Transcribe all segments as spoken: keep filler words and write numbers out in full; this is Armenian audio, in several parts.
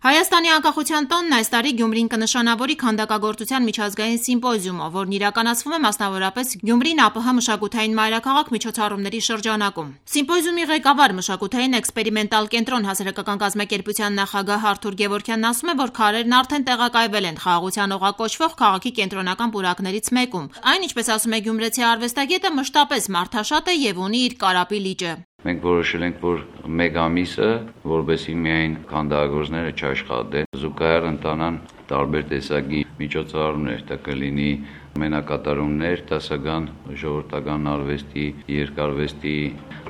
Հայաստանի անկախության տոնն այս տարի Գյումրին կնշանավորի քանդակագործության միջազգային սիմպոզիումով, որն իրականացվում է մասնավորապես Գյումրին ԱՊՀ մշակութային մայրաքաղաք միջոցառումների շրջանակում։ Սիմպոզիումի ղեկավար մշակութային էքսպերիմենտալ կենտրոն հասարակական կազմակերպության նախագահ Արթուր Գևորգյանն ասում է, որ քարերն արդեն տեղակայվել են խաղաղության օղակ կոչվող քաղաքի կենտրոնական պուրակներից մեկում։ Այն, ինչպես ասում է գյումրեցի արվեստագետը, մշտապես մարդաշատ է եւ ունի իր կարապի լիճը։ Մենք որոշել ենք, որ մեկ ամիսը, որովհետեւ միայն քանդակագործները չաշխատեն, զուգահեռ ընտանան տարբեր տեսակի միջոցառումներ, դա կլինի մենակատարումներ, դասական ժողովրդական արվեստի, երկարվեստի,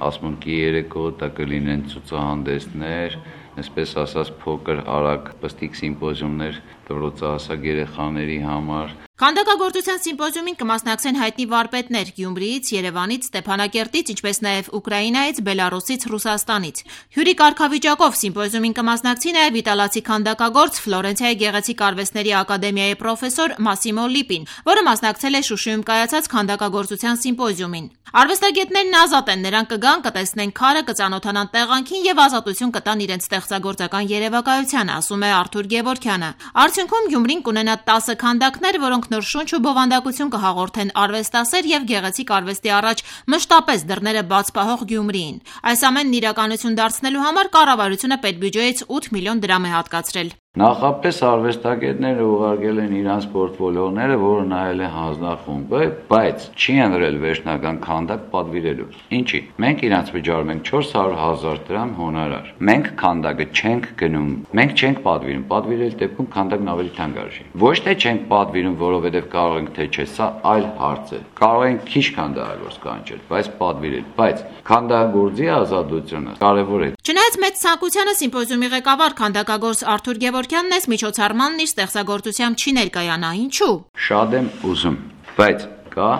ասմունքի երեկո, դա կլինեն ցուցահանդեսներ, այսպես ասած փոքր արագ պստիկ սիմպոզիումներ դպրոցահասակ երեխաների համար։ Քանդակագործության սիմպոզիումին կմասնակցեն հայտնի վարպետներ Գյումրիից, Երևանից, Ստեփանակերտից, ինչպես նաև Ուկրաինայից, Բելարուսից, Ռուսաստանից։ Հյուրի կարգավիճակով սիմպոզիումին կմասնակցի նաև իտալացի քանդակագործ Ֆլորենցիայի գեղեցիկ արվեստների ակադեմիայի պրոֆեսոր Մասիմո Լիպին, որը մասնակցել է Շուշիում կայացած քանդակագործության սիմպոզիումին։ Արվեստագետներն ազատ են, նրանք կգան, կտեսնեն քարը, կծանոթանան տեղանքին եւ ազատություն կտան իրենց ստեղծագործական երևակայությանը, ասում է Արթուր Գևորգյանը։ Արդյունքում Գյումրին կունենա տասը քանդակներ, որոնք նոր շունչ ու բովանդակություն կհաղորդեն արվեստասեր եւ գեղեցիկ արվեստի առաջ մշտապես դռները բաց պահող Գյումրիին։ Այս ամենն իրականություն դարձնելու համար կառավարությունը պետբյուջեից ութ միլիոն դրամ է հատկացրել։ Նախապես արվեստագետները ուղարկել են իրանց պորտֆոլիոները, որը նայել է հանձնախումբը, բայց չի ընտրել վերջնական քանդակ պատվիրելու։ Ինչի՞։ Մենք իրանց վճարում ենք չորս հարյուր հազար դրամ հոնորար։ Մենք քանդակը չենք գնում, մենք չենք պատվիրում, պատվիրել դեպքում քանդակն ավելի թանկ արժի։ Ոչ թե չենք պատվիրում, որովհետև կարող ենք թե չէ, սա այլ հարց է։ Կարող ենք քիչ քանդակագործ կանչել, բայց պատվիրել, բայց քանդակագործի ազատությունը կարևոր է։ Չնայած մեծ ցանկությանը սիմպոզիումի ղեկավար քանդակագործ Արթուր Գևորգյանն այս միջոցառմանն իր ստեղծագործությամբ չի ներկայանա, ինչու։ Շատ եմ ուզում, բայց կա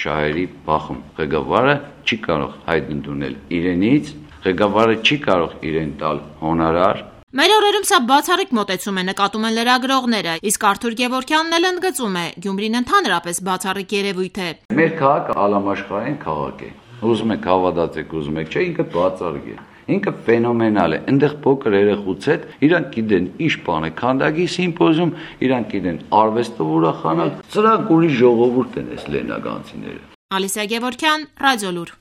շահերի բախում։ Ղեկավարը չի կարող հայտ ընդունել իրենից, ղեկավարը չի կարող իրեն տալ հոնորար։ Մեր օրերում սա բացառիկ մոտեցում է, նկատում են լրագրողները, իսկ Արթուր Գևորգյանն էլ ընդգծում է, Գյումրին ընդհանրապես բացառիկ երևույթ է։ Մեր քաղաքը ալամաշխարհային քաղաք է։ Ուզում եք հավատացեք, ուզում եք չէ, ինքը բացառիկ է։ Ինքը ֆենոմենալ է, այնտեղ փոքր երեխուց հետ իրանք գիտեն ինչ բան է քանդակի սիմպոզիում, իրանք գիտեն արվեստով ուրախանալ, սրանք ուրիշ ժողովուրդ են այս լենագանցիները։ Ալիսա Գևորգյան, Ռադիոլուր։